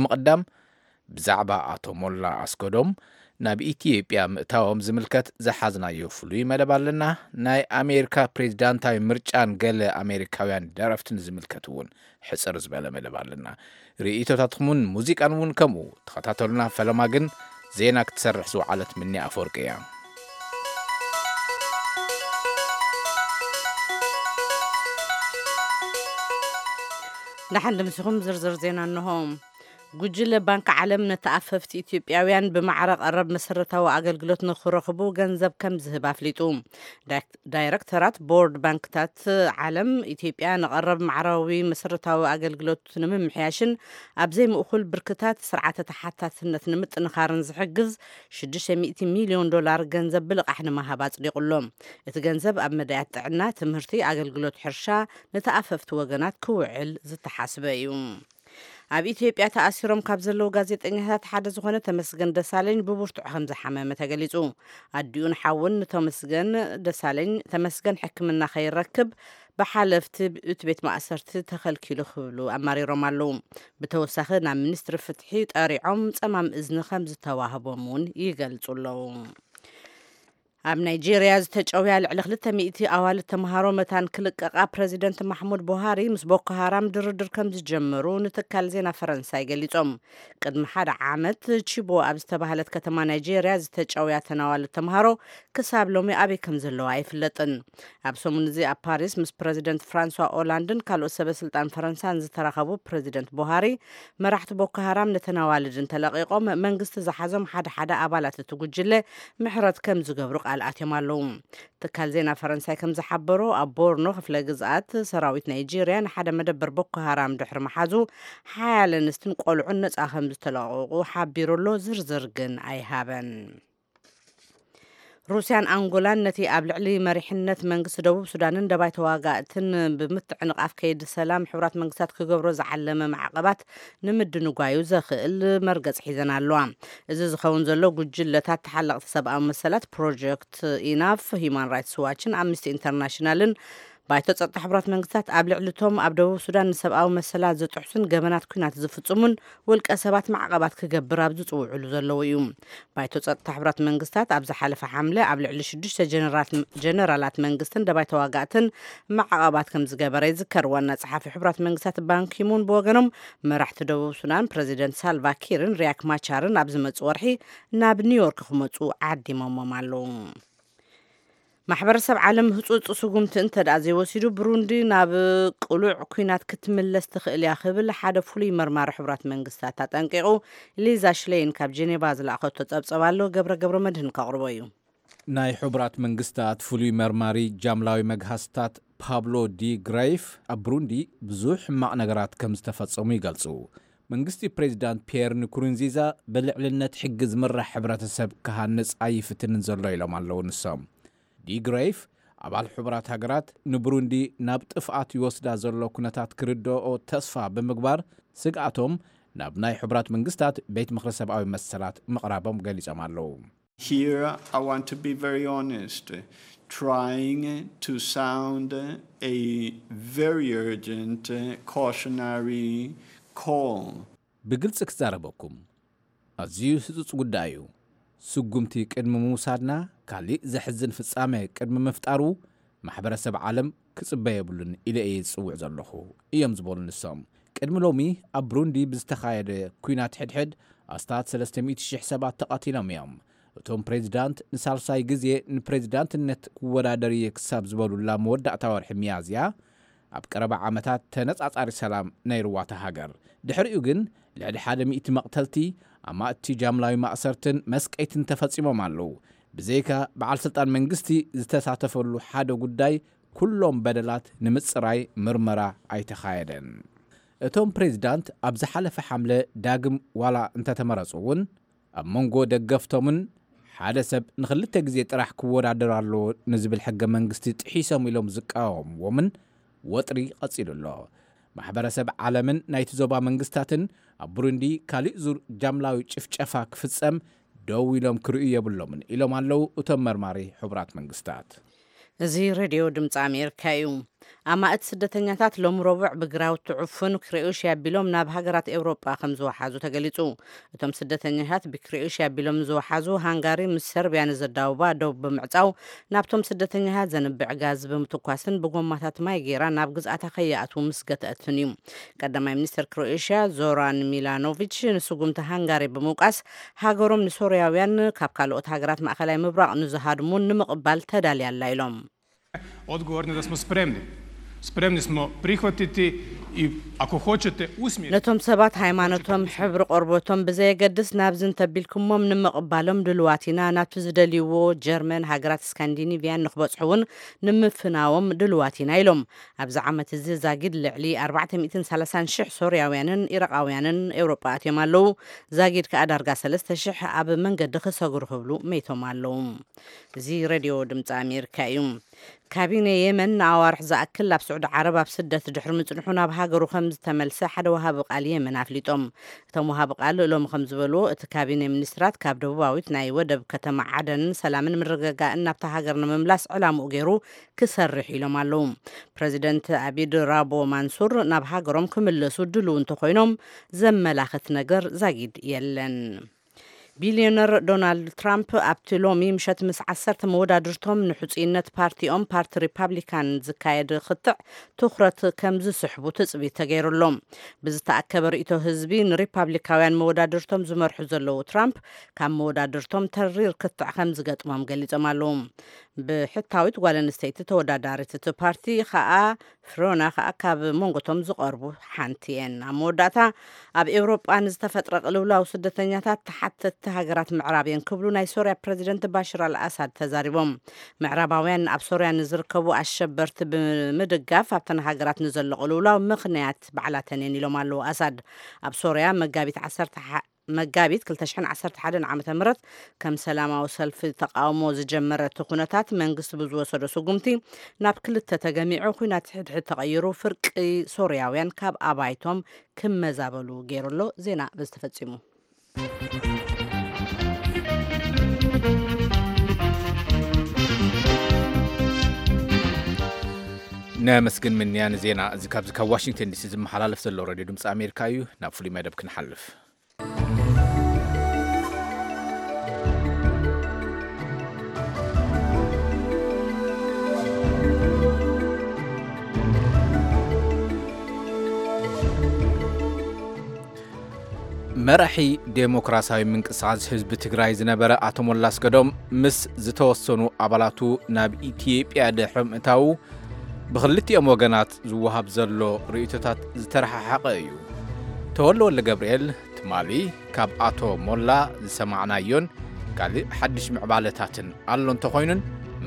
ምቕዳም፣ ብዛዕባ ኣቶ ሞላ ኣስገዶም ናብ ኢትዮጵያ ምእታዎም ዝምልከት ዝሓዝናዮ ፍሉይ መደብ ኣለና። ናይ ኣሜሪካ ፕሬዚዳንታዊ ምርጫን ገለ ኣሜሪካውያን ደረፍትን ዝምልከት እውን ሕጽር ዝበለ መደብ ኣለና። ርእይቶታትኩምን ሙዚቃን እውን ከምኡ። ተኸታተሉና። ፈለማ ግን ዜና ክትሰርሕ ዝወዓለት ምኒ ኣፈወርቂ እያ። ደሓን ድምስኹም። ዝርዝር ዜና እንሆ። ጉጅለ ባንክ ዓለም ንተኣፈፍቲ ኢትዮጵያውያን ብማዕረ ቀረብ መሰረታዊ ኣገልግሎት ንክረኽቡ ገንዘብ ከም ዝህብ ኣፍሊጡ። ዳይረክተራት ቦርድ ባንክታት ዓለም ኢትዮጵያ ንቐረብ ማዕራዊ መሰረታዊ ኣገልግሎት ንምምሕያሽን ኣብ ዘይምእኩል ብርክታት ስርዓተ ተሓታትነት ንምጥንኻርን ዝሕግዝ ሽዱሽተ ሚእቲ ሚልዮን ዶላር ገንዘብ ብልቓሕ ንምሃብ ኣጽዲቑ ኣሎ። እቲ ገንዘብ ኣብ መዳያት ጥዕና፣ ትምህርቲ፣ ኣገልግሎት ሕርሻ፣ ንተኣፈፍቲ ወገናት ክውዕል ዝተሓስበ እዩ። ኣብ ኢትዮጵያ ተኣሲሮም ካብ ዘለዉ ጋዜጠኛታት ሓደ ዝኾነ ተመስገን ደሳለኝ ብብርቱዕ ከም ዝሓመመ ተገሊጹ። ኣዲኡን ሓውን ንተመስገን ደሳለኝ ተመስገን ሕክምና ከይረክብ ብሓለፍቲ እቲ ቤት ማእሰርቲ ተኸልኪሉ ክብሉ ኣማሪሮም ኣለዉ። ብተወሳኺ ናብ ሚኒስትሪ ፍትሒ ጠሪዖም ጸማም እዝኒ ከም ዝተዋህቦም እውን ይገልጹ ኣለዉ። ኣብ ናይጄርያ ዝተጨውያ ልዕሊ ክልተ ሚእቲ ኣዋልድ ተምሃሮ መታን ክልቀቓ ፕረዚደንት ማሕሙድ ቡሃሪ ምስ ቦኮ ሃራም ድርድር ከም ዝጀመሩ ንትካል ዜና ፈረንሳይ ገሊጾም። ቅድሚ ሓደ ዓመት ቺቦ ኣብ ዝተባህለት ከተማ ናይጄርያ ዝተጨውያ ተን ኣዋልድ ተምሃሮ ክሳብ ሎሚ ኣበይ ከም ዘለዋ ኣይፍለጥን። ኣብ ሰሙን እዚ ኣብ ፓሪስ ምስ ፕረዚደንት ፍራንሷ ኦላንድን ካልኦት ሰበ ስልጣን ፈረንሳን ዝተራኸቡ ፕረዚደንት ቡሃሪ፣ መራሕቲ ቦኮ ሃራም ነተን ኣዋልድ እንተለቒቖም መንግስቲ ዝሓዞም ሓደ ሓደ ኣባላት እቲ ጉጅለ ምሕረት ከም ዝገብሩ ቃል ኣትዮም ኣለዉ። ትካል ዜና ፈረንሳይ ከም ዝሓበሮ፣ ኣብ ቦርኖ ክፍለ ግዝኣት ሰራዊት ናይጄርያ ንሓደ መደበር ቦኮ ሃራም ድሕሪ ምሓዙ፣ ሓያለ ኣንስትን ቆልዑን ነጻ ከም ዝተለቐቑ ሓቢሩ ኣሎ። ዝርዝር ግን ኣይሃበን። ሩስያን ኣንጎላን ነቲ ኣብ ልዕሊ መሪሕነት መንግስቲ ደቡብ ሱዳንን ደባይ ተዋጋእትን ብምትዕንቓፍ ከይዲ ሰላም ሕቡራት መንግስታት ክገብሮ ዝዓለመ ማዕቐባት ንምድንጓዩ ዘኽእል መርገጽ ሒዘን ኣለዋ። እዚ ዝኸውን ዘሎ ጉጅለታት ተሓለቕቲ ሰብኣዊ መሰላት ፕሮጀክት ኢናፍ፣ ሂዩማን ራይትስ ዋችን ኣምነስቲ ኢንተርናሽናልን ባይቶ ጸጥታ ሕቡራት መንግስታት ኣብ ልዕሊ እቶም ኣብ ደቡብ ሱዳን ንሰብኣዊ መሰላት ዝጥሕሱን ገበናት ኲናት ዝፍጽሙን ውልቀ ሰባት ማዕቐባት ክገብር ኣብ ዝጽውዕሉ ዘለዉ እዩ። ባይቶ ጸጥታ ሕቡራት መንግስታት ኣብ ዝሓለፈ ሓምለ ኣብ ልዕሊ ሽዱሽተ ጀነራላት መንግስትን ደባይ ተዋጋእትን ማዕቐባት ከም ዝገበረ ይዝከር። ዋና ጸሓፊ ሕቡራት መንግስታት ባንኪሙን ብወገኖም፣ መራሕቲ ደቡብ ሱዳን ፕረዚደንት ሳልቫ ኪርን ሪያክ ማቻርን ኣብ ዝመጽእ ወርሒ ናብ ኒውዮርክ ክመጹ ዓዲሞሞም ኣለዉ። ማሕበረሰብ ዓለም ህጹጽ ስጉምቲ እንተ ደኣ ዘይወሲዱ፣ ብሩንዲ ናብ ቅሉዕ ኲናት ክትምለስ ትኽእል እያ ክብል ሓደ ፍሉይ መርማሪ ሕቡራት መንግስታት ኣጠንቂቑ። ሊዛ ሽሌይን ካብ ጀኔቫ ዝለኣኸቶ ጸብጸብ ኣሎ፣ ገብረ ገብረ መድህን ከቕርቦ እዩ። ናይ ሕቡራት መንግስታት ፍሉይ መርማሪ ጃምላዊ መግሃስታት ፓብሎ ዲ ግሬፍ ኣብ ብሩንዲ ብዙሕ ሕማቕ ነገራት ከም ዝተፈጸሙ ይገልጹ። መንግስቲ ፕሬዚዳንት ፒየር ንኩሩንዚዛ ብልዕልነት ሕጊ ዝምራሕ ሕብረተሰብ ክሃንጽ ኣይፍትንን ዘሎ ኢሎም ኣለዉ ንሶም። ዲ ግሬፍ ኣባል ሕቡራት ሃገራት ንብሩንዲ ናብ ጥፍኣት ይወስዳ ዘሎ ኩነታት ክርድኦ ተስፋ ብምግባር ስግኣቶም ናብ ናይ ሕቡራት መንግስታት ቤት ምኽሪ ሰብኣዊ መሰላት ምቕራቦም ገሊጾም ኣለዉ። Here, I want to be very honest, trying to sound a very urgent cautionary call. ብግልጺ ክዛረበኩም ኣዝዩ ህጹጽ ጉዳይ እዩ። ስጉምቲ ቅድሚ ምውሳድና፣ ካሊእ ዘሕዝን ፍጻመ ቅድሚ ምፍጣሩ፣ ማሕበረሰብ ዓለም ክጽበ የብሉን ኢለ እየ ዝጽውዕ ዘለኹ፣ እዮም ዝበሉ ንሶም። ቅድሚ ሎሚ ኣብ ብሩንዲ ብዝተኻየደ ኲናት ሕድሕድ ኣስታት ሰለስተ ሚእቲ ሽሕ ሰባት ተቐቲሎም እዮም። እቶም ፕሬዚዳንት ንሳልሳይ ግዜ ንፕሬዚዳንትነት ክወዳደር እየ ክሳብ ዝበሉላ መወዳእታ ወርሒ ሚያዝያ ኣብ ቀረባ ዓመታት ተነጻጻሪ ሰላም ነይርዋ እታ ሃገር። ድሕሪኡ ግን ልዕሊ ሓደ ሚእቲ መቕተልቲ፣ ኣማእቲ ጃምላዊ ማእሰርትን መስቀይትን ተፈጺሞም ኣለዉ። ብዘይካ በዓል ስልጣን መንግስቲ ዝተሳተፈሉ ሓደ ጉዳይ ኩሎም በደላት ንምጽራይ ምርመራ ኣይተኻየደን። እቶም ፕሬዚዳንት ኣብ ዝሓለፈ ሓምለ ዳግም ዋላ እንተተመረጹ እውን ኣብ መንጎ ደገፍቶምን ሓደ ሰብ ንኽልተ ግዜ ጥራሕ ክወዳደር ኣለዎ ንዝብል ሕገ መንግስቲ ጥሒሶም ኢሎም ዝቃወምዎምን ወጥሪ ቀጺሉ ኣሎ። ማሕበረሰብ ዓለምን ናይቲ ዞባ መንግስታትን ኣብ ብሩንዲ ካሊእ ዙር ጃምላዊ ጭፍጨፋ ክፍጸም ደው ኢሎም ክርእዩ የብሎምን ኢሎም ኣለዉ እቶም መርማሪ ሕቡራት መንግስታት። እዚ ሬድዮ ድምፂ ኣሜሪካ እዩ። ኣማእት ስደተኛታት ሎሚ ረቡዕ ብግራውቲ ዕፉን ክሮኤሽያ ኣቢሎም ናብ ሃገራት ኤውሮጳ ከም ዝወሓዙ ተገሊጹ። እቶም ስደተኛታት ብክሮኤሽያ ኣቢሎም ዝወሓዙ ሃንጋሪ ምስ ሰርቢያ ንዘዳውባ ዶብ ብምዕጻው፣ ናብቶም ስደተኛታት ዘንብዕ ጋዝ ብምትኳስን ብጎማታት ማይ ገይራ ናብ ግዝኣታ ከይኣትዉ ምስ ገትኣትን እዩ። ቀዳማይ ሚኒስተር ክሮኤሽያ ዞራን ሚላኖቪች ንስጉምቲ ሃንጋሪ ብምውቃስ፣ ሃገሮም ንሶርያውያን ካብ ካልኦት ሃገራት ማእከላይ ምብራቕ ንዝሃድሙ ንምቕባል ተዳልያ ኣላ ኢሎም። Odgovorni da smo spremni. Spremni smo prihvatiti i, ako hoćete, usmjeriti. ነቶም ሰባት ሃይማኖቶም፣ ሕብሪ ቆርበቶም ብዘየገድስ ናብዚ እንተቢልኩሞም ንምቕባሎም ድልዋት ኢና። ናብቲ ዝደልይዎ ጀርመን፣ ሃገራት ስካንዲኒቭያን ንክበጽሑ እውን ንምፍናዎም ድልዋት ኢና ኢሎም። ኣብዚ ዓመት እዚ ዛጊድ ልዕሊ ኣርባዕተ ሚእትን ሰላሳን ሽሕ ሶርያውያንን ኢራቓውያንን ኤውሮጳ ኣትዮም ኣለዉ። ዛጊድ ከኣ ዳርጋ ሰለስተ ሽሕ ኣብ መንገዲ ክሰግሩ ክብሉ መይቶም ኣለዉ። እዚ ሬድዮ ድምፂ ኣሜሪካ እዩ። ካቢነ የመን ንኣዋርሕ ዝኣክል ኣብ ስዑዲ ዓረብ ኣብ ስደት ድሕሪ ምጽንሑ ናብ ሃገሩ ከም ዝተመልሰ ሓደ ወሃቢ ቃል የመን ኣፍሊጦም። እቶም ወሃቢ ቃል ሎሚ ከም ዝበልዎ፣ እቲ ካቢነ ሚኒስትራት ካብ ደቡባዊት ናይ ወደብ ከተማ ዓደን ሰላምን ምርግጋእን ናብታ ሃገር ንምምላስ ዕላምኡ ገይሩ ክሰርሕ ኢሎም ኣለዉ። ፕረዚደንት ኣቢድ ራቦ ማንሱር ናብ ሃገሮም ክምለሱ ድልው እንተኾይኖም ዘመላኽት ነገር ዛጊድ የለን። ቢልዮነር ዶናልድ ትራምፕ ኣብቲ ሎሚ ምሸት ምስ ዓሰርተ መወዳድርቶም ንሕጹይነት ፓርቲኦም፣ ፓርቲ ሪፓብሊካን፣ ዝካየድ ክትዕ ትኹረት ከም ዝስሕቡ ትጽቢት ተገይሩሎም። ብዝተኣከበ ርእይቶ ህዝቢ ንሪፓብሊካውያን መወዳድርቶም ዝመርሑ ዘለዉ ትራምፕ ካብ መወዳድርቶም ተሪር ክትዕ ከም ዝገጥሞም ገሊጾም ኣለዉ። ብሕታዊት ጓል ኣንስተይቲ ተወዳዳሪት እቲ ፓርቲ ከኣ ፍሮና ከኣ ካብ መንጎቶም ዝቐርቡ ሓንቲ እየን። ኣብ መወዳእታ፣ ኣብ ኤውሮጳ ንዝተፈጥረ ቅልውላው ስደተኛታት ተሓተትቲ ሃገራት ምዕራብ እየን ክብሉ ናይ ሶርያ ፕረዚደንት ባሽር ኣልኣሳድ ተዛሪቦም። ምዕራባውያን ኣብ ሶርያ ንዝርከቡ ኣሸበርቲ ብምድጋፍ ኣብተን ሃገራት ንዘሎ ቅልውላው ምኽንያት ባዕላተን እየን ኢሎም ኣለዉ ኣሳድ። ኣብ ሶርያ መጋቢት ዓሰርተ መጋቢት ክልተ ሽሕን ዓሰርተ ሓደን ዓመተ ምህረት ከም ሰላማዊ ሰልፊ ተቃውሞ ዝጀመረ እቲ ኩነታት መንግስቲ ብዝወሰዶ ስጉምቲ ናብ ክልተ ተገሚዑ፣ ኩናት ሕድሕድ ተቐይሩ፣ ፍርቂ ሶርያውያን ካብ ኣባይቶም ክመዛበሉ ገይሩ ኣሎ። ዜና በዚ ተፈጺሙ። ነመስግን ምንያ ንዜና እዚ ካብዚ ካብ ዋሽንግተን ዲሲ ዝመሓላለፍ ዘሎ ሬድዮ ድምፂ ኣሜሪካ እዩ። ናብ ፍሉይ መደብ ክንሓልፍ። መራሒ ዴሞክራሲያዊ ምንቅስቃስ ህዝቢ ትግራይ ዝነበረ ኣቶ ሞላ ኣስገዶም ምስ ዝተወሰኑ ኣባላቱ ናብ ኢትዮጵያ ድሕሪ ምእታዉ ብኽልቲኦም ወገናት ዝወሃብ ዘሎ ርእይቶታት ዝተረሓሓቐ እዩ። ተወልደ ወልደገብርኤል ትማሊ ካብ ኣቶ ሞላ ዝሰማዕናዮን ካልእ ሓድሽ ምዕባለታትን ኣሎ እንተኾይኑን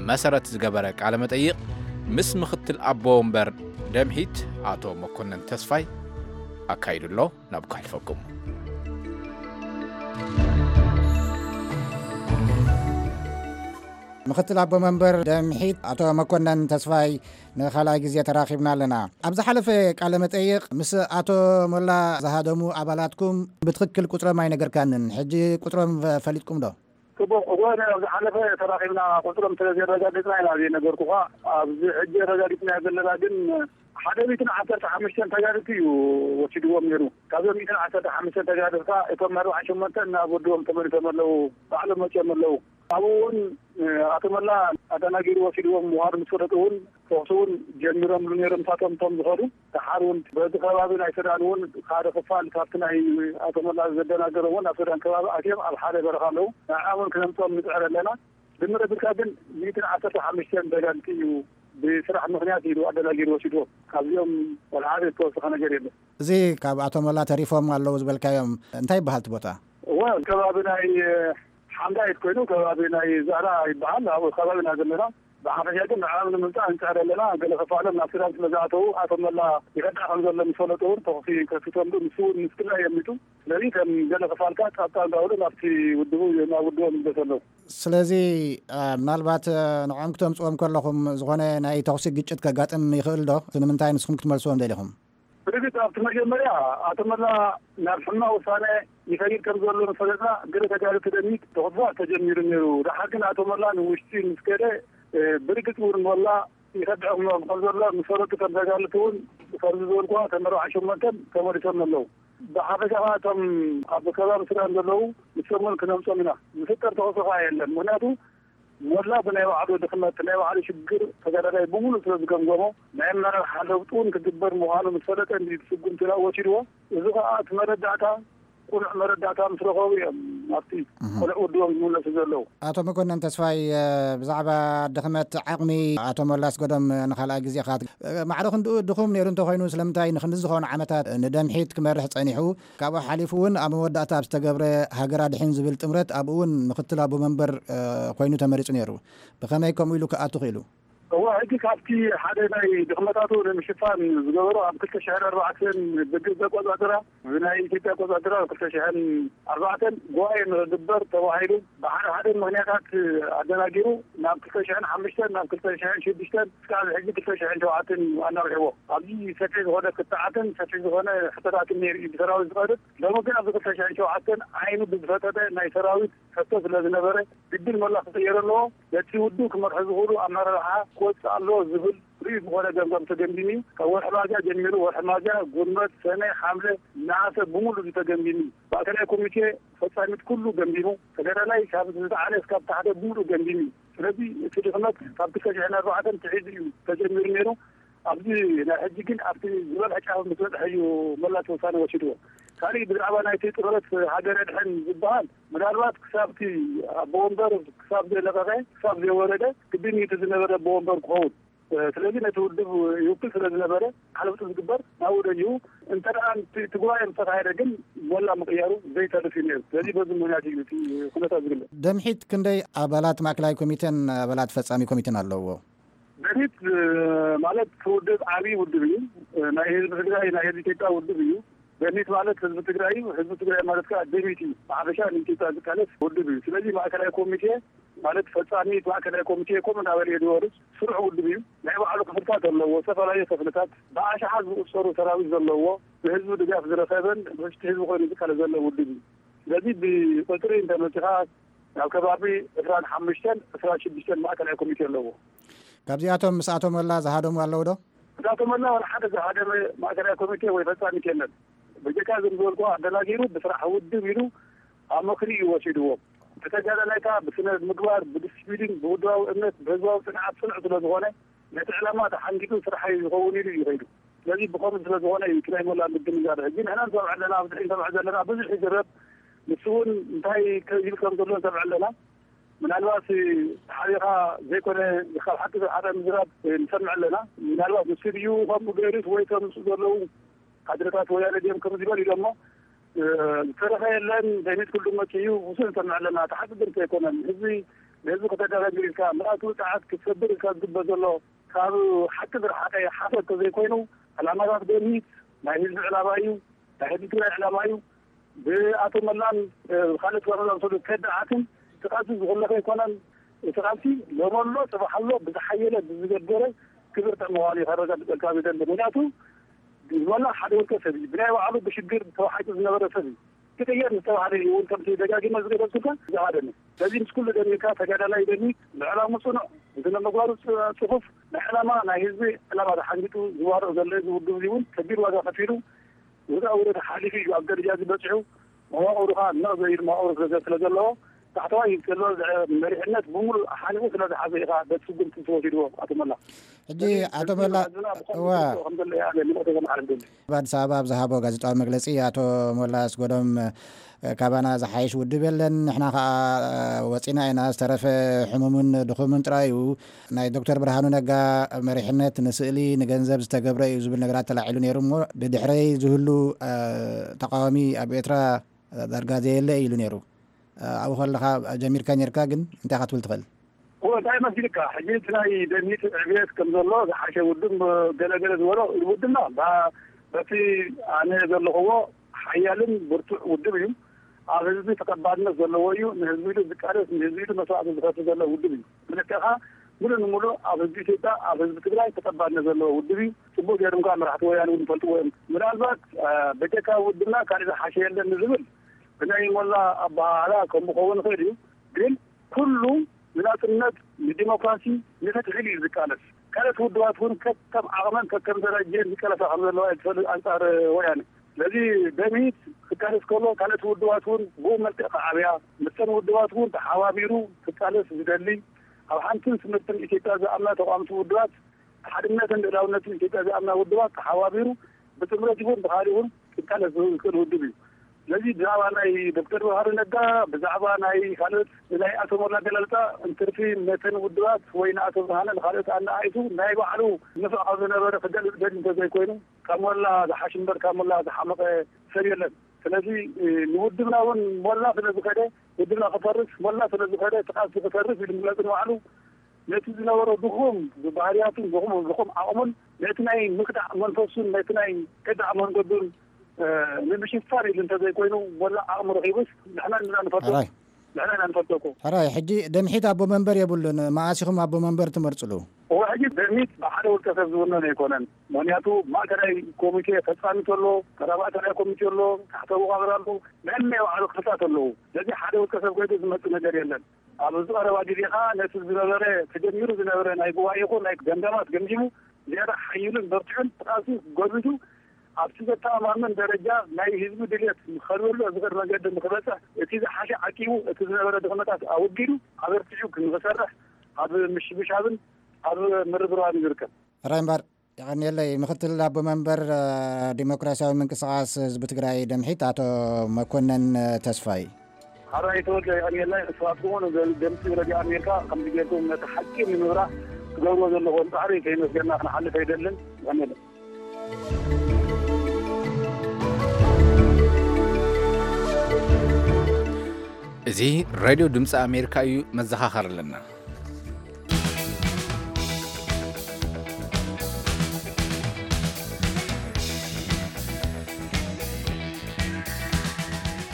መሰረት ዝገበረ ቃለ መጠይቕ ምስ ምኽትል ኣቦ ወንበር ደምሒት ኣቶ መኮነን ተስፋይ ኣካይዱ ኣሎ። ናብ ከሕልፈኩም። ምኽትል ኣቦ መንበር ደምሒት ኣቶ መኮነን ተስፋይ፣ ንኻልኣይ ግዜ ተራኺብና ኣለና። ኣብ ዝሓለፈ ቃለ መጠይቕ ምስ ኣቶ ሞላ ዝሃደሙ ኣባላትኩም ብትኽክል ቁጽሮም ኣይነገርካንን። ሕጂ ቁጽሮም ፈ-፣ ፈሊጥኩም ዶ? ጽቡቕ። እወ፣ ኣብ ዝሓለፈ ተራኺብና ቁጽሮም ስለ ዘየረጋገጽና ኢና ዘይነገርኩኻ። ኣብዚ ሕጂ ኣረጋጊጽናዮ ዘለና ግን ሓደ ሚእትን ዓሰርተ ሓሙሽተን ተጋደልቲ እዩ ወሲድዎም ነይሩ። ካብዞም ሚእትን ዓሰርተ ሓሙሽተን ተጋደልቲ እቶም ኣርብዓን ሸሞንተን ናብ ወድቦም ተመሊሶም ኣለዉ። ባዕሎም መጺኦም ኣለዉ። ኣብኡ እውን፣ እ፣ ኣቶ መላ ኣደናጊሩ ወሲድዎም ምዃኑ ምስ ፈለጡ እውን ተኹሲ እውን ጀሚሮምሉ ነይሮም። ንሳቶም እቶም ዝኸዱ ደሓር እውን በዚ ከባቢ ናይ ሱዳን እውን ሓደ ክፋል ካብቲ ናይ ኣቶ መላ ዘደናገሮም እውን ኣብ ሱዳን ከባቢ ኣትዮም ኣብ ሓደ በረኻ ኣለዉ። ንዕኦም እውን ክነምፅኦም ንፅዕር ኣለና። ድምር ኣቢልካ ግን ሚእትን ዓሰርተ ሓሙሽተን ተጋደልቲ እዩ ብስራሕ ምኽንያት ኢሉ ኣደናጊሩ ወሲድዎም። ካብዚኦም ወላ ሓደ ዝተወሰኸ ነገር የለን። እዚ ካብ ኣቶ መላ ተሪፎም ኣለዉ ዝበልካዮም እንታይ ይበሃል እቲ ቦታ? እወ፣ ከባቢ ናይ ሓምዳይት ኮይኑ ከባቢ ናይ ዛህራ ይበሃል። ኣብኡ ከባቢ ኢና ዘለና። ብሓፈሻ ግን ንዕኦም ንምምፃእ ንፅዕር ኣለና። ገለ ክፋሎም ናብ ሱዳን ስለ ዝኣተዉ ኣቶ መላ ይኸዳዕ ከም ዘሎ ምስ ፈለጡ እውን ተኹሲ ከፊቶም፣ ንሱ እውን ምስ ግዳይ የሚቱ። ስለዚ ከም ገለ ክፋልካ ጣብጣብ እንዳበሉ ናብቲ ውድቡ፣ ናብ ውድቦም ይምለሱ ኣለዉ። ስለዚ፣ እ፣ ምናልባት፣ እ፣ ንዕኦም ክተምፅዎም ከለኹም ዝኾነ ናይ ተኹሲ ግጭት ከጋጥም ይኽእል ዶ? እቲ ንምንታይ ንስኹም ክትመልስዎም ደሊኹም? ብርግፅ ኣብቲ መጀመርያ ኣቶ መላ ናብ ሕማቕ ውሳነ ይኸይድ ከም ዘሎ ምስ ፈለጥና፣ ገለ ተጋደልቲ ደሚት ተኹስታት ተጀሚሩ ነይሩ። ደሓር ግን ኣቶ መላ ንውሽጢ ምስ ከደ፣ እ፣ ብርግፅ እውን መላ ይኸድዖም ከም ዘሎ ምስ ፈለጡ ከም ተጋልቲ እውን ከምዚ ዝበልኩዋ ከም ኣርባዓ ሸሞንተን ተመሊሶም ኣለዉ። ብሓፈሻ ከዓ እቶም ኣብ ከባቢ ሱዳን ዘለዉ ንሶም እውን ክነምጾም ኢና። ዝፍጠር ተኸሶ ከዓ የለን። ምክንያቱ ሞላ ብናይ ባዕሉ ድኽመት ናይ ባዕሉ ሽግር ተጋዳላይ ብምሉእ ስለ ዝገምገሞ ናይ ኣመራርሓ ለውጢ እውን ክግበር ምዃኑ ምስ ፈለጠ እንዲ ስጉምቲ ናብ ወሲድዎ። እዚ ከዓ እቲ መረዳእታ ቁኑዕ መረዳእታ ምስ ረኸቡ እዮም ኣብቲ ቆልዕ ውድቦም ዝምለሱ ዘለዉ። ኣቶ መኮነን ተስፋይ፣ ብዛዕባ ድኽመት ዓቕሚ ኣቶ ሞላ ኣስገዶም ንኻልኣይ ግዜ ኢኻ፣ ማዕረ ክንድኡ ድኹም ነይሩ እንተኾይኑ ስለምንታይ ንክንዲ ዝኾኑ ዓመታት ንደምሒት ክመርሕ ጸኒሑ? ካብኡ ሓሊፉ እውን ኣብ መወዳእታ ኣብ ዝተገብረ ሃገር ኣድሕን ዝብል ጥምረት ኣብኡ እውን ምክትል ኣቦ መንበር ኮይኑ ተመሪጹ ነይሩ። ብኸመይ ከምኡ ኢሉ ክኣቱ ክኢሉ? እወ፣ ሕጂ ካብቲ ሓደ ናይ ድኽመታቱ ንምሽፋን ዝገበሮ ኣብ ክልተ ሽሕን ኣርባዕተን ብግብፂ ኣቆፃፅራ፣ ብናይ ኢትዮጵያ ኣቆፃፅራ ኣብ ክልተ ሽሕን ኣርባዕተን ጉባኤ ንክግበር ተባሂሉ ብሓደ ሓደ ምክንያታት ኣደናጊሩ ናብ ክልተ ሽሕን ሓሙሽተን ናብ ክልተ ሽሕን ሽዱሽተን እስካብ ሕጂ ክልተ ሽሕን ሸውዓተን ኣናውሕዎ። ኣብዚ ሰፊሕ ዝኾነ ክትዓትን ሰፊሕ ዝኾነ ሕቶታትን ነይሩ እዩ ብሰራዊት ዝቐርብ። ሎሚ ግን ኣብዚ ክልተ ሽሕን ሸውዓተን ዓይኑ ብዝፈጠጠ ናይ ሰራዊት ሕቶ ስለ ዝነበረ ግድን መላ ክቕየር ኣለዎ። ነቲ ውድብ ክመርሑ ዝኽእሉ ኣመራርሓ ክወፅእ ኣለዎ ዝብል ርኡይ ዝኾነ ገምጋም ተገምጊሙ እዩ። ካብ ወርሒ ሚያዝያ ጀሚሩ ወርሒ ሚያዝያ፣ ጉንበት፣ ሰነ፣ ሓምለ፣ ነሓሰ ብምሉእ እዩ ተገምጊሙ እዩ። ማእከላይ ኮሚቴ ፈጻሚት ኩሉ ገምጊሙ፣ ተጋዳላይ ካብ ዝለዓለ እስካብ ታሕተ ብምሉእ ገምጊሙ እዩ። ስለዚ እቲ ድኽመት ካብ ክልተ ሽሕን ኣርባዕተን ትሒዙ እዩ ተጀሚሩ ነይሩ። ኣብዚ ናይ ሕጂ ግን ኣብቲ ዝበልሐ ጫፍ ምስ በጽሐ እዩ መላ እቲ ውሳነ ወሲድዎ። ካሊእ ብዛዕባ ናይቲ ጥምረት ሃገር ኣድሕን ዝበሃል ምናልባት ክሳብ እቲ ኣቦ ወንበር ክሳብ ዘይለቐቐ ክሳብ ዘይወረደ ግድን እዩ እቲ ዝነበረ ኣቦ ወንበር ክኸውን። ስለዚ ነቲ ውድብ ይውክል ስለ ዝነበረ ዓለውጢ ዝግበር ናብኡ ደይቡ እንተ ደኣ እቲ እቲ ጉባኤ ምስ ተኻየደ ግን ሞላ ምቕያሩ ዘይተርፍ እዩ ነይሩ። ስለዚ በዚ ምኽንያት እዩ እቲ ኩነታት ዝግለጽ። ደምሒት ክንደይ ኣባላት ማእከላይ ኮሚቴን ኣባላት ፈጻሚ ኮሚቴን ኣለውዎ? ደምሒት ማለት እቲ ውድብ ዓብዪ ውድብ እዩ። ናይ ህዝቢ ትግራይ ናይ ህዝቢ ኢትዮጵያ ውድብ እዩ። ደምሒት ማለት ህዝቢ ትግራይ እዩ። ህዝቢ ትግራይ ማለት ከዓ ደምሒት እዩ። ብሓፈሻ ንኢትዮጵያ ዝቃለስ ውድብ እዩ። ስለዚ ማእከላይ ኮሚቴ ማለት ፈጻሚ ማእከላይ ኮሚቴ ከምኡ እናበለ እዩ ዝወርድ። ስሩዕ ውድብ እዩ። ናይ ባዕሉ ክፍልታት ኣለዎ። ዝተፈላለዩ ክፍልታት ብኣሽሓት ዝቑጸሩ ሰራዊት ዘለዎ ብህዝቢ ድጋፍ ዝረኸበን ብሽቲ ህዝቢ ኮይኑ ዝቃለስ ዘሎ ውድብ እዩ። ስለዚ ብቁፅሪ እንተመፂኻ ናብ ከባቢ ዕስራን ሓሙሽተን ዕስራን ሽዱሽተን ማእከላይ ኮሚቴ ኣለዎ። ካብዚኣቶም ምስ ኣቶ ሞላ ዝሃደሙ ኣለዉ ዶ? ምስ ኣቶ ሞላ ዋላ ሓደ ዝሃደመ ማእከላይ ኮሚቴ ወይ ፈጻሚት የለን። በጀካ ዝም ዝበልኩ ኣደናጊሩ ብስራሕ ውድብ ኢሉ ኣመክንዩ እዩ ወሲድዎ። እቲ ተጋዳላይ ከዓ ብስነ ምግባር፣ ብዲስፕሊን፣ ብውድባዊ እምነት፣ ብህዝባዊ ፅንዓት ፅኑዕ ስለ ዝኾነ ነቲ ዕላማ ተሓንጊጡ ስራሐይ ዝኸውን ኢሉ እዩ ከይዱ። ስለዚ ብኸምኡ ስለ ዝኾነ እዩ እቲ ናይ ሞላ ምግድንጋር። ሕጂ ንሕና ንሰምዕ ኣለና፣ ኣብዚ ንሰምዕ ዘለና ብዙሕ ይዝረብ። ንሱ እውን እንታይ ከ- ይብል ከም ዘሎ ንሰምዕ ኣለና። ምናልባት ሓቢኻ ዘይኮነ ካብ ሓቂ ዝረሓቐ ምዝራብ ንሰምዕ ኣለና። ምናልባት ንሱ ድዩ ከምኡ ገይሩስ ወይ እቶም ምስኡ ዘለዉ ካድረታት ወያነ ድዮም ከም ዝበል ኢሎሞ ዝተረፈ የለን። ደሚት ኩሉ መፅኡ እዩ ውሱን ንሰምዕ ኣለና። እቲ ሓቂ ግን ኣይኮነን። ህዝቢ ንህዝቢ ከተደናግር ኢልካ ምልኣት ውፅዓት ክትሰብር ኢልካ ዝግበር ዘሎ ካብ ሓቂ ዝረሓቐ ሓሶት ተዘይኮይኑ ዕላማታት ደሚት ናይ ህዝቢ ዕላማ እዩ። ናይ ህዝቢ ትግራይ ዕላማ እዩ። ብኣቶ መላን ካልኦት ባሮት ዝኣመሰሉ ከዳዓትን እቲ ቃልሲ ዝኹለፈ ኣይኮነን። እቲ ቃልሲ ሎሚ ኣሎ፣ ፅባሕ ኣሎ፣ ብዝሓየለ ብዝገደረ ክብርትዕ ምዃኑ እዩ ከረጋግፀልካ ዝደሊ። ምክንያቱ መላ ሓደ ውልቀ ሰብ እዩ። ብናይ ባዕሉ ብሽግር ተባሓይጡ ዝነበረ ሰብ እዩ። ክቅየር ዝተባህለ እዩ እውን ከምቲ ደጋጊመ ዝገለፅኩልካ ዝሃደመ። ስለዚ ምስ ኩሉ ደሚርካ ተጋዳላይ ደሚት ብዕላሙ ፅኑዕ፣ ብስነ ምግባሩ ፅ- ፅፉፍ፣ ናይ ዕላማ ናይ ህዝቢ ዕላማ ተሓንጊጡ ዝዋርቕ ዘሎ እዚ ውድብ እዚ እውን ከቢድ ዋጋ ከፊሉ ውጣ ውረድ ሓሊፉ እዩ ኣብ ደረጃ እዚ በፂሑ። መዋቕሩ ከዓ ነቕ ዘይብል መዋቕሩ ስለ ስለ ዘለዎ ታሕተዋይ ዘሎ መሪሕነት ብምሉእ ሓኒቑ ስለ ዝሓዘ ኢኻ በቲ ስጉምቲ ዝተወሲድዎ ኣቶ መላ። ሕጂ ኣቶ መላ፣ እዋ። ከም ዘሎ እያ ኣነ ምልእቶ ከመሓላልፍ ደሊ። ኣብ ኣዲስ ኣበባ ኣብ ዝሃቦ ጋዜጣዊ መግለጺ ኣቶ ሞላ ኣስገዶም ካባና ዝሓይሽ ውድብ የለን፣ ንሕና ከዓ ወፂና ኢና፣ ዝተረፈ ሕሙምን ድኹምን ጥራይ እዩ። ናይ ዶክተር ብርሃኑ ነጋ መሪሕነት ንስእሊ ንገንዘብ ዝተገብረ እዩ ዝብል ነገራት ተላዒሉ ነይሩ እሞ ድድሕረይ ዝህሉ እ፣ ተቃዋሚ ኣብ ኤርትራ ዳርጋ ዘየለ እዩ ኢሉ ነይሩ። እ፣ ኣብኡ ከለኻ ጀሚርካ ነይርካ፣ ግን እንታይ ኢኻ ትብል ትኽእል? እወ፣ እንታይ መሲልካ? ሕጂ እቲ ናይ ደሚት ዕብየት ከም ዘሎ ዝሓሸ ውድብ ገለገለ ዝበሎ ውድብና ባ- በቲ ኣነ ዘለኽዎ ሓያልን ብርቱዕ ውድብ እዩ። ኣብ ህዝቢ ተቐባልነት ዘለዎ እዩ። ንህዝቢ ኢሉ ዝቃለስ፣ ንህዝቢ ኢሉ መስዋእቲ ዝኸፍል ዘሎ ውድብ እዩ። ብልክዕኻ ምሉእ ንምሉእ ኣብ ህዝቢ ኢትዮጵያ፣ ኣብ ህዝቢ ትግራይ ተቐባልነት ዘለዎ ውድብ እዩ። ጽቡቕ ገይሮም ከዓ መራሕቲ ወያነ እውን ይፈልጥዎ እዮም። ምናልባት እ፣ በጀካ ውድብና ካልእ ዝሓሸ የለን ንዝብል ብናይ ሞላ ኣበሃህላ ከም ክኸውን ይኽእል እዩ። ግን ኩሉ ንናጽነት፣ ንዲሞክራሲ፣ ንፍትሒ እዩ ዝቃለስ። ካልኦት ውድባት እውን ከከም ዓቕመን ከከም ደረጀን ዝቃለሳ ከም ዘለዋ እየ ዝፈልጥ ኣንጻር ወያነ። ስለዚ ደምሂት ክቃለስ ከሎ ካልኦት ውድባት እውን ብኡ መልክዕ ክዓብያ፣ ምስተን ውድባት እውን ተሓባቢሩ ክቃለስ ዝደሊ፣ ኣብ ሓንትን ስምርትን ኢትዮጵያ ዝኣምና ተቋምቲ ውድባት፣ ሓድነትን ልእላውነትን ኢትዮጵያ ዝኣምና ውድባት ተሓባቢሩ ብጥምረት ይኹን ብኻሊእ እውን ክቃለስ ዝኽእል ውድብ እዩ። ስለዚ ብዛዕባ ናይ ዶክተር ብርሃኑ ነጋ፣ ብዛዕባ ናይ ካልኦት ናይ ኣቶ ሞላ ኣገላልጻ እንትርፊ ነተን ውድባት ወይ ንኣቶ ብርሃነ ንኻልኦት ኣነኣኢሱ ናይ ባዕሉ ንፍዕ ካብ ዝነበረ ክገልጽ ደሊ እንተዘይኮይኑ ካብ ሞላ ዝሓሽ እምበር ካብ ሞላ ዝሓመቐ ሰብ የለን። ስለዚ ንውድብና እውን ሞላ ስለ ዝኸደ ውድብና ክፈርስ ሞላ ስለ ዝኸደ እቲ ቃልሲ ክፈርስ ኢሉ ምግላጹ ንባዕሉ ነቲ ዝነበሮ ድኹም ባህርያቱን ድኹም ድኹም ዓቕሙን ነቲ ናይ ምክዳዕ መንፈሱን ነቲ ናይ ከዳዕ መንገዱን ንምሽፋን ኢሉ እንተዘይኮይኑ ወላ ዓቕሚ ረኺቡስ ንሕና ንና ንፈቶ ሕራይ። ንሕና ኢና ንፈቶ እኮ። ሕራይ፣ ሕጂ ደምሒት ኣቦ መንበር የብሉን። መዓስ ኢኹም ኣቦ መንበር ትመርጽሉ? እወ፣ ሕጂ ደምሒት ብሓደ ውልቀ ሰብ ዝውነን ኣይኮነን። ምክንያቱ ማእከላይ ኮሚቴ ፈጻሚ ተሎ፣ ተራ ማእከላይ ኮሚቴ ኣሎ፣ ታሕተ መቓብር ኣሎ፣ ነናይ ባዕሉ ክፍልታት ኣለዉ። ስለዚ ሓደ ውልቀ ሰብ ኮይዱ ዝመጽእ ነገር የለን። ኣብ ዝቐረባ ግዜ ኸዓ ነቲ ዝነበረ ተጀሚሩ ዝነበረ ናይ ጉባኤ ይኹን ናይ ገምጋማት ገምጊሙ ዝያዳ ሓይሉን በርቲዑን ቃልሲ ጎልቢቱ ኣብቲ ዘተኣማምን ደረጃ ናይ ህዝቢ ድልየት ንኸልበሎ ዝኽእል መገዲ ንክበፅሕ እቲ ዝሓሸ ዓቂቡ እቲ ዝነበረ ድኽመታት ኣወጊዱ ኣበርቲዑ ንክሰርሕ ኣብ ምሽብሻብን ኣብ ምርብራብን ይርከብ። ሕራይ እምበር የቐንየለይ። ምክትል ኣቦ መንበር ዲሞክራሲያዊ ምንቅስቃስ ህዝቢ ትግራይ ደምሒት ኣቶ መኮነን ተስፋይ። ሕራይ ተወልደ የቐንየለይ። ንስኻትኩም እውን ደምፂ ረድዮ ኣሜሪካ ከምዚ ጌርኩም ነቲ ሓቂ ንምብራህ ትገብርዎ ዘለኹም ፃዕሪ ከይመስገና ክንሓልፍ ኣይደልን። የቐንየለይ። እዚ ሬድዮ ድምፂ ኣሜሪካ እዩ። መዘኻኸር ኣለና።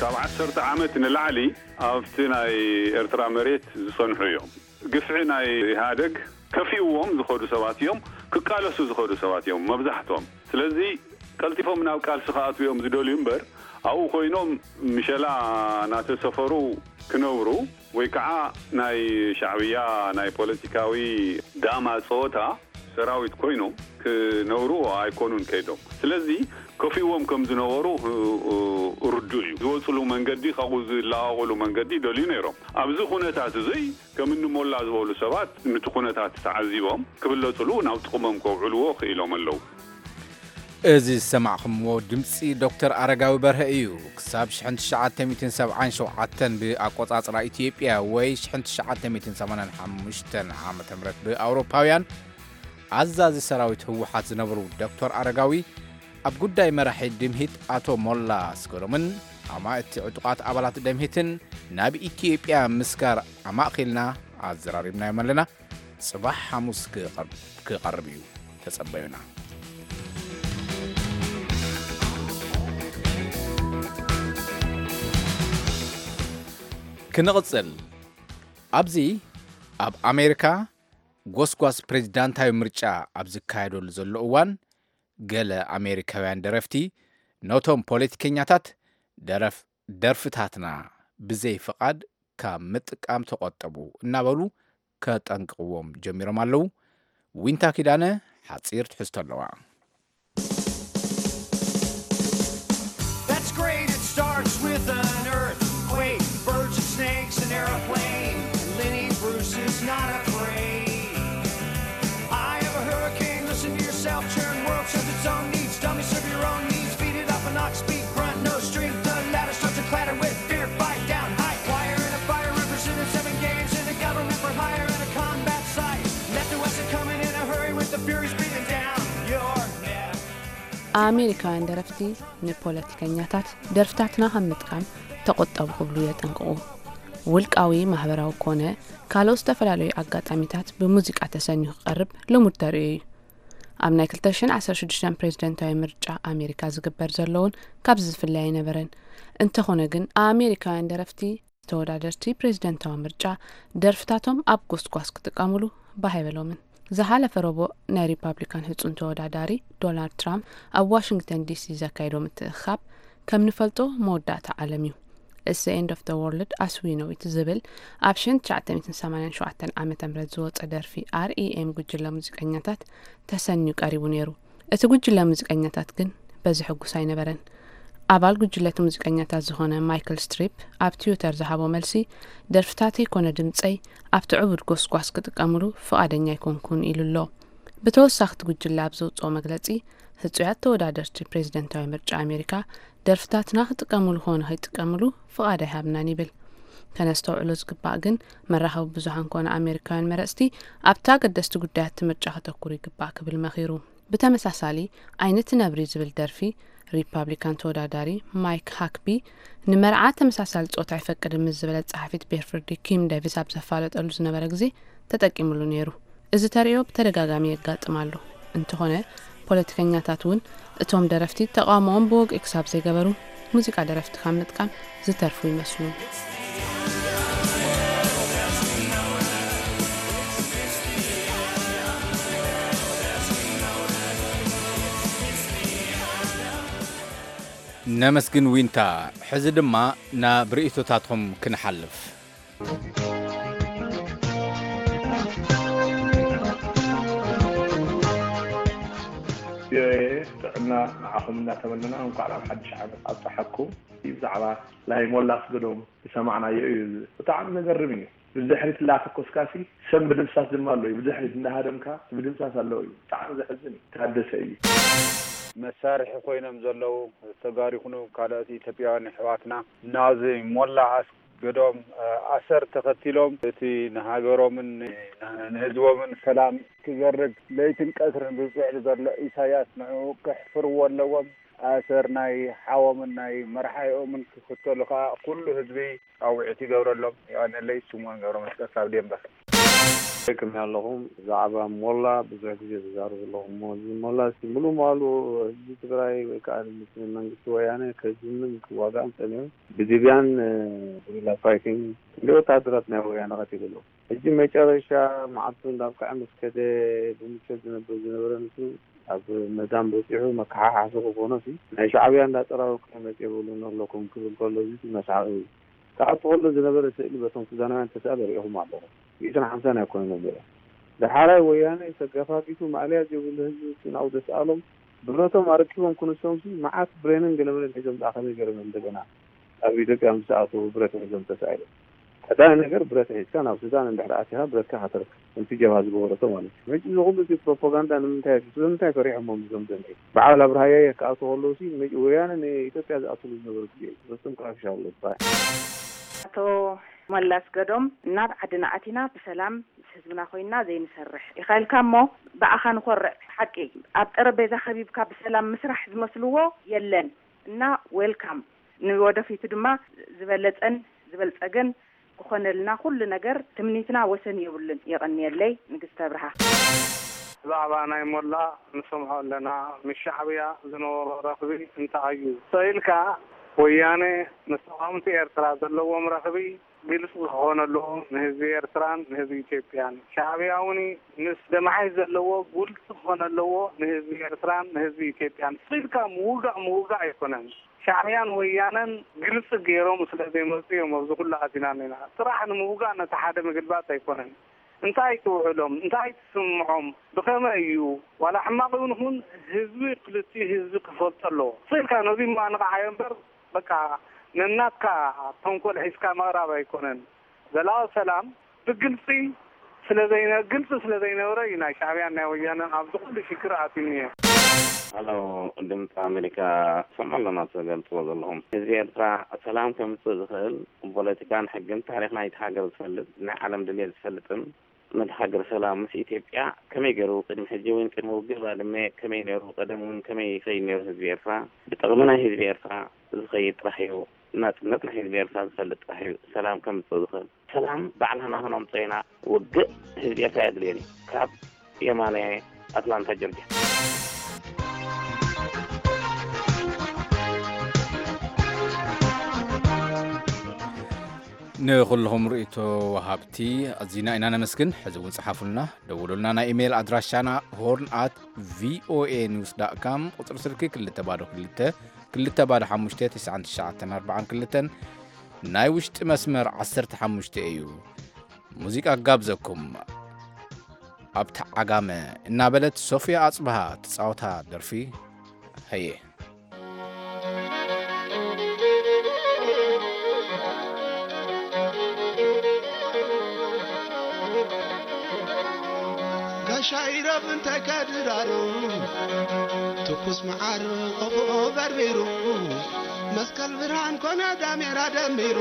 ካብ ዓሰርተ ዓመት ንላዕሊ ኣብቲ ናይ ኤርትራ መሬት ዝጸንሑ እዮም። ግፍዒ ናይ ኢህኣደግ ከፊእዎም ዝኸዱ ሰባት እዮም፣ ክቃለሱ ዝኸዱ ሰባት እዮም መብዛሕትኦም። ስለዚ ቀልጢፎም ናብ ቃልሲ ክኣትዉ እዮም ዝደልዩ እምበር ኣብኡ ኮይኖም ምሸላ እናተሰፈሩ ክነብሩ ወይ ከዓ ናይ ሻዕብያ ናይ ፖለቲካዊ ዳማ ጸወታ ሰራዊት ኮይኖም ክነብሩ ኣይኮኑን ከይዶም። ስለዚ ከፊእዎም ከም ዝነበሩ ርዱእ እዩ። ዝወፅሉ መንገዲ ካብኡ ዝለቃቕሉ መንገዲ ይደልዩ ነይሮም። ኣብዚ ኩነታት እዙይ ከም እኒ ሞላ ዝበሉ ሰባት ነቲ ኩነታት ተዓዚቦም ክብለፅሉ ናብ ጥቕሞም ከውዕልዎ ክኢሎም ኣለዉ። እዚ ዝሰማዕኹምዎ ድምፂ ዶክተር ኣረጋዊ በርሀ እዩ። ክሳብ ሽሕን ትሽዓተ ሚእትን ሰብዓን ሸውዓተን ብኣቆፃፅራ ኢትዮጵያ ወይ ሽሕን ትሽዓተ ሚእትን ሰማንያን ሓሙሽተን ዓመተ ምህረት ብኣውሮፓውያን ኣዛዚ ሰራዊት ህወሓት ዝነበሩ ዶክተር ኣረጋዊ ኣብ ጉዳይ መራሒ ድምሂት ኣቶ ሞላ ኣስገዶምን ኣማእቲ ዕጡቓት ኣባላት ደምሂትን ናብ ኢትዮጵያ ምስጋር ኣማእኺልና ኣዘራሪብናዮም ኣለና። ጽባሕ ሓሙስ ክቐርብ እዩ። ተጸበዩና። ክንቕጽል። ኣብዚ ኣብ ኣሜሪካ ጎስጓስ ፕሬዚዳንታዊ ምርጫ ኣብ ዝካየደሉ ዘሎ እዋን፣ ገለ ኣሜሪካውያን ደረፍቲ ነቶም ፖለቲከኛታት ደረፍ ደርፍታትና ብዘይ ፍቓድ ካብ ምጥቃም ተቖጠቡ እናበሉ ከጠንቅቕዎም ጀሚሮም ኣለዉ። ዊንታ ኪዳነ ሓጺር ትሕዝቶ ኣለዋ። That's great, it starts with an earthquake, birds and snakes, an aeroplane. Lenny Bruce is not afraid. I have a hurricane, listen to yourself, churn world serves its own needs. Dummy, serve your own needs, feed it up an ox, speak grunt, no strength, the ladder starts to clatter with fear, fight down, high wire in a fire, representing seven games in a government for hire and a combat site. Left to west and coming in a hurry with the furies breathing down your neck. ኣሜሪካውያን ደረፍቲ ንፖለቲከኛታት ደርፍታትና ካብ ምጥቃም ተቆጠቡ ክብሉ የጠንቅቑ። ውልቃዊ፣ ማህበራዊ ኮነ ካልኦት ዝተፈላለዩ ኣጋጣሚታት ብሙዚቃ ተሰንዩ ክቐርብ ልሙድ ተርእዮ እዩ። ኣብ ናይ ክልተ ሽሕን ዓሰርተ ሽዱሽተን ፕሬዝደንታዊ ምርጫ ኣሜሪካ ዝግበር ዘሎ እውን ካብዚ ዝፍለ ኣይነበረን። እንተኾነ ግን ኣሜሪካውያን ደረፍቲ ተወዳደርቲ ፕሬዝደንታዊ ምርጫ ደርፍታቶም ኣብ ጎስጓስ ክጥቀምሉ ባህ ኣይበሎምን። ዝሓለፈ ረቡዕ ናይ ሪፓብሊካን ህጹን ተወዳዳሪ ዶናልድ ትራምፕ ኣብ ዋሽንግተን ዲሲ ዘካየዶ ምትእኽኻብ ከም ንፈልጦ መወዳእታ ዓለም እዩ። It's the End of the World as We Know It ዝብል ኣብ ሸን ትሽዓተ ሚእትን ሰማንያን ሸውዓተን ዓመተ ምህረት ዝወጸ ደርፊ ኣር ኢ ኤም ጉጅለ ሙዚቀኛታት ተሰንዩ ቀሪቡ ነይሩ። እቲ ጉጅለ ሙዚቀኛታት ግን በዚ ሕጉስ ኣይነበረን። ኣባል ጉጅለ እቲ ሙዚቀኛታት ዝኾነ ማይክል ስትሪፕ ኣብ ትዊተር ዝሃቦ መልሲ፣ ደርፍታተይ ኮነ ድምጸይ ኣብቲ ዕቡድ ጎስጓስ ክጥቀምሉ ፍቓደኛ ኣይኮንኩን ኢሉ ኣሎ። ብተወሳኺ እቲ ጉጅለ ኣብ ዘውጽኦ መግለጺ፣ ህጹያት ተወዳደርቲ ፕሬዝደንታዊ ምርጫ ኣሜሪካ ደርፍታትና ክጥቀምሉ ኾነ ከይጥቀምሉ ፍቓድ ኣይሃብናን ይብል። ከነስተውዕሎ ዝግባእ ግን፣ መራኸቢ ብዙሃን ኮነ ኣሜሪካውያን መረጽቲ ኣብቲ ኣገደስቲ ጉዳያት እቲ ምርጫ ከተኩሩ ይግባእ ክብል መኺሩ። ብተመሳሳሊ፣ ዓይኒ እቲ ነብሪ ዝብል ደርፊ ሪፓብሊካን ተወዳዳሪ ማይክ ሃክቢ ንመርዓ ተመሳሳሊ ጾታ ኣይፈቅድን ምስ ዝበለት ጸሓፊት ቤርፍርዲ ኪም ዴቪስ ኣብ ዘፋለጠሉ ዝነበረ ግዜ ተጠቂምሉ ነይሩ። እዚ ተርእዮ ብተደጋጋሚ የጋጥም ኣሎ። እንተኾነ፣ ፖለቲከኛታት እውን እቶም ደረፍቲ ተቓውሞኦም ብወግዒ ክሳብ ዘይገበሩ፣ ሙዚቃ ደረፍቲ ካብ ምጥቃም ዝተርፉ ይመስሉ። ነመስግን ዊንታ። ሕዚ ድማ ናብ ርእይቶታትኩም ክንሓልፍ። ቪኦኤ ጥዕና ንዓኹም እናተመነና፣ እንኳዕ ናብ ሓድሽ ዓመት ኣብፀሓኩም። ብዛዕባ ናይ ሞላ ኣስገዶም ዝሰማዕናዮ እዩ። ብጣዕሚ ዘገርም እዩ። ብድሕሪት እናተኮስካሲ ሰብ ምድምሳስ ድማ ኣሎ እዩ። ብድሕሪት እናሃደምካ ምድምሳስ ኣለዎ እዩ። ብጣዕሚ ዘሕዝን እዩ። ታደሰ እዩ። መሳርሒ ኮይኖም ዘለዉ ተጋሩ ይኹኑ ካልኦት ኢትዮጵያውያን ኣሕዋትና ናዚ ሞላ ኣስገዶም ኣሰር ተኸቲሎም እቲ ንሃገሮምን ንህዝቦምን ሰላም ክዘርግ ለይትን ቀትርን ዝፅዕር ዘሎ ኢሳያስ ንዕኡ ከሕፍርዎ ኣለዎም። ኣሰር ናይ ሓዎምን ናይ መርሓይኦምን ክኽተሉ ከዓ ኩሉ ህዝቢ ፃውዒት ይገብረሎም። የቐንየለይ። ስምኦን ገብረመስቀል ካብ ዴንቨር። ከመይ ኣለኹም? ብዛዕባ ሞላ ብዙሕ ግዜ ተዛረቡ ኣለኹም እሞ፣ እዚ ሞላ እስኪ ሙሉ ማሉ ህዝቢ ትግራይ ወይ ከዓ ምስ መንግስቲ ወያነ ከዝምን ክዋጋእን ጸኒሑ፣ ብሊብያን፣ እ፣ ጉሪላ ፋይቲንግ ክንደይ ወታደራት ናይ ወያነ ቀቲሉ ኣሎ። ሕጂ መጨረሻ መዓልቱ እንዳብቅዐ ምስ ከደ፣ ብምቾት ዝነብር ዝነበረ ንሱ ኣብ መዳም በፂሑ መከሓሓሲ ክኾኖ ሲ ናይ ሻዕብያ እንዳፀራረኩ መፂ የብሉን ኣለኩም ክብል ከሎ፣ እዚ መስሓቂ እዩ። ክኣቱ ከሎ ዝነበረ ስእሊ በቶም ሱዳናውያን ተስኣለ ርኢኹም ኣለኹም። ሚእትን ሓምሳን ኣይኮነን ነይሩ። ዳሕራይ ወያነ ተገፋፊቱ ማእለያ ዘይብሉ ህዝቢ ናብኡ ዘስኣሎም ብረቶም ኣረኪቦም ክንሶም ሲ መዓት ብሬንን ገለመለን ሒዞም ደኣ ከመይ ገይሮም እንደገና ኣብ ኢትዮጵያ ምስ ኣተዉ ብረት ሒዞም ተሳኢሎም። ቀዳማይ ነገር ብረት ሒዝካ ናብ ሱዳን እንድሕር ኣቲኻ ብረትካ ከተርክብ፣ ከምቲ ጀብሃ ዝገበረቶ ማለት እዩ። መጭ እዚ ኩሉ እቲ ፕሮፓጋንዳ ንምንታይ እዩ? ስለምንታይ ፈሪሖሞም እዞም ዘንጊ? በዓል ኣብርሃ ያየ ክኣትዉ ከለዉ ሲ መጭ ወያነ ንኢትዮጵያ ዝኣትሉ ዝነበሩ ግዜ እዩ። ፍጹም ክረብሻ ኣሎ ዝበሃል። ኣቶ ሞላ ኣስገዶም፣ ናብ ዓድና ኣቲና ብሰላም ምስ ህዝብና ኮይንና ዘይንሰርሕ ኢኻ ኢልካ እሞ ብኣኻ ንኾርዕ። ሓቂ፣ ኣብ ጠረጴዛ ከቢብካ ብሰላም ምስራሕ ዝመስልዎ የለን። እና ዌልካም። ንወደፊቱ ድማ ዝበለጸን ዝበልጸገን ክኾነልና ኩሉ ነገር ትምኒትና ወሰን የብሉን። የቐንየለይ። ንግስቲ ኣብርሃ። ብዛዕባ ናይ ሞላ ንሰምዖ ኣለና። ምስ ሻዕብያ ዝነበሮ ረኽቢ እንታይ እዩ? ስቕ ኢልካ ወያነ ምስ ተቓወምቲ ኤርትራ ዘለዎም ረኽቢ ግልፂ ክኾን ኣለዎ ንህዝቢ ኤርትራን ንህዝቢ ኢትዮጵያን። ሻዕብያ እውን ምስ ደማሓይ ዘለዎ ግልፂ ክኾን ኣለዎ ንህዝቢ ኤርትራን ንህዝቢ ኢትዮጵያን። ስቕ ኢልካ ምውጋእ ምውጋእ ኣይኮነን። ሻዕብያን ወያነን ግልፂ ገይሮም ስለ ዘይመፁ እዮም ኣብዚ ኩሉ ኣቲና እኒና። ጥራሕ ንምውጋእ ነቲ ሓደ ምግልባጥ ኣይኮነን። እንታይ ትውዕሎም? እንታይ ትስምዖም? ብኸመይ እዩ? ዋላ ሕማቕ እውን ይኹን ህዝቢ ክልቲኡ ህዝቢ ክፈልጦ ኣለዎ። ስቕ ኢልካ ነዚ እሞ ኣንቕዓዮ እምበር በቃ ነናትካ ተንኮል ሒዝካ ምቕራብ ኣይኮነን። ዘላቒ ሰላም ብግልፂ ስለ ዘይነ-፣ ግልፂ ስለ ዘይነበረ እዩ ናይ ሻዕብያን ናይ ወያነን ኣብዚ ኩሉ ሽግር ኣትዩኒ። ሃሎ፣ ድምፂ ኣሜሪካ፣ ትሰምዑ ኣለና ትገልፅዎ ዘለኹም። ህዝቢ ኤርትራ ሰላም ከምፅእ ዝኽእል ብፖለቲካን ሕግን ታሪኽ ናይቲ ሃገር ዝፈልጥ፣ ናይ ዓለም ድሌት ዝፈልጥን ነቲ ሃገር ሰላም ምስ ኢትዮጵያ ከመይ ገይሩ ቅድሚ ሕጂ እውን ቅድሚ ውግእ ባድመ ከመይ ነይሩ፣ ቀደም እውን ከመይ ይኸይድ ነይሩ ህዝቢ ኤርትራ፣ ብጥቕሚ ናይ ህዝቢ ኤርትራ ዝኸይድ ጥራሕ እዩ። ናጽነት ናይ ህዝቢ ኤርትራ ዝፈልጥ ጥራሕ እዩ ሰላም ከምጽእ ዝኽእል። ሰላም ባዕልና ንኸነምጽኦ ኢና። ውግእ ህዝቢ ኤርትራ ኣየድልዮን እዩ። ካብ የማነ ኣትላንታ ጆርጅያ። ንኹልኹም ርእይቶ ወሃብቲ ኣዚና ኢና ነመስግን። ሕዚ እውን ጽሓፉልና፣ ደውሉልና። ናይ ኢሜይል ኣድራሻና ሆርን ኣት ቪኦኤ ኒውስ ዳት ካም፣ ቁጽሪ ስልኪ ክልተ ባዶ ክልተ፣ ክልተ ባዶ ሓሙሽተ፣ ትስዓን ትሽዓተን ኣርባዓን ክልተን። ናይ ውሽጢ መስመር ዓሰርተ ሓሙሽተ እዩ። ሙዚቃ ጋብዘኩም። ኣብታ ዓጋመ እናበለት ሶፍያ ኣጽብሃ ትጻወታ ደርፊ ሀየ። ጋሻ ኢረብ እንተ ከድራሩ ትኩስ መዓር ቆፎ በርቢሩ መስቀል ብርሃን ኮነ ዳሜራ ደሚሩ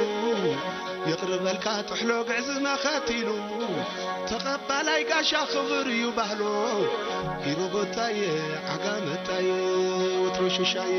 ይቕርበልካ ጥሕሎ ግዕዝመ ኸቲሉ ተቐባላይ ጋሻ ክብር እዩ ባህሎ ኢሮቦታየ ዓጋመታየ ወትሮ ሽሻየ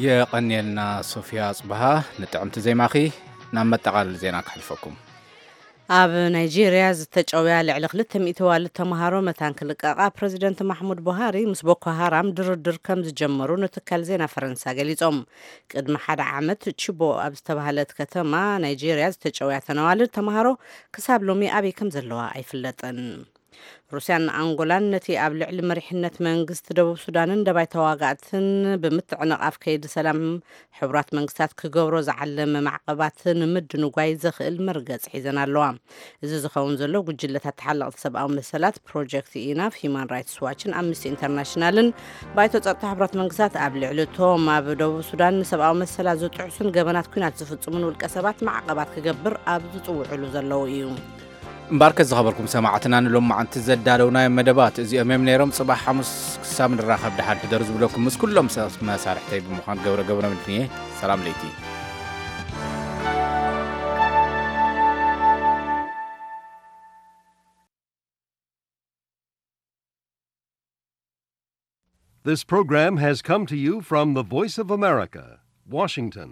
የቐንየልና ሶፊያ ኣጽብሃ ንጥዕምቲ ዜማኺ። ናብ መጠቓለሊ ዜና ከሕልፈኩም። ኣብ ናይጄርያ ዝተጨውያ ልዕሊ ክልተ ሚእቲ ዋልድ ተምሃሮ መታን ክልቀቓ ፕረዚደንት ማሕሙድ ቡሃሪ ምስ ቦኮ ሃራም ድርድር ከም ዝጀመሩ ንትካል ዜና ፈረንሳ ገሊጾም። ቅድሚ ሓደ ዓመት ቺቦ ኣብ ዝተባህለት ከተማ ናይጄርያ ዝተጨውያ ተነዋልድ ተምሃሮ ክሳብ ሎሚ ኣበይ ከም ዘለዋ ኣይፍለጥን። ሩስያን ኣንጎላን ነቲ ኣብ ልዕሊ መሪሕነት መንግስቲ ደቡብ ሱዳንን ደባይ ተዋጋእትን ብምትዕንቓፍ ከይዲ ሰላም ሕቡራት መንግስታት ክገብሮ ዝዓለመ ማዕቐባት ንምድንጓይ ዘኽእል መርገፂ ሒዘን ኣለዋ። እዚ ዝኸውን ዘሎ ጉጅለታት ተሓለቕቲ ሰብኣዊ መሰላት ፕሮጀክት ኢናፍ፣ ሂማን ራይትስ ዋችን ኣምነስቲ ኢንተርናሽናልን ባይቶ ፀጥታ ሕቡራት መንግስታት ኣብ ልዕሊ እቶም ኣብ ደቡብ ሱዳን ንሰብኣዊ መሰላት ዝጥሕሱን ገበናት ኲናት ዝፍፅሙን ውልቀ ሰባት ማዕቐባት ክገብር ኣብ ዝፅውዕሉ ዘለዉ እዩ። እምባርከ ዝኸበርኩም ሰማዕትና ንሎማዓንቲ ዘዳለውናዮም መደባት እዚኦም እዮም ነይሮም። ጽባሕ ሓሙስ ክሳብ ንራኸብ ደሓን ሕደሩ ዝብለኩም ምስ ኩሎም ሰብ መሳርሕተይ ብምዃን ገብረ ገብረ ምድንየ። ሰላም ለይቲ። This program has come to you from the Voice of America, Washington.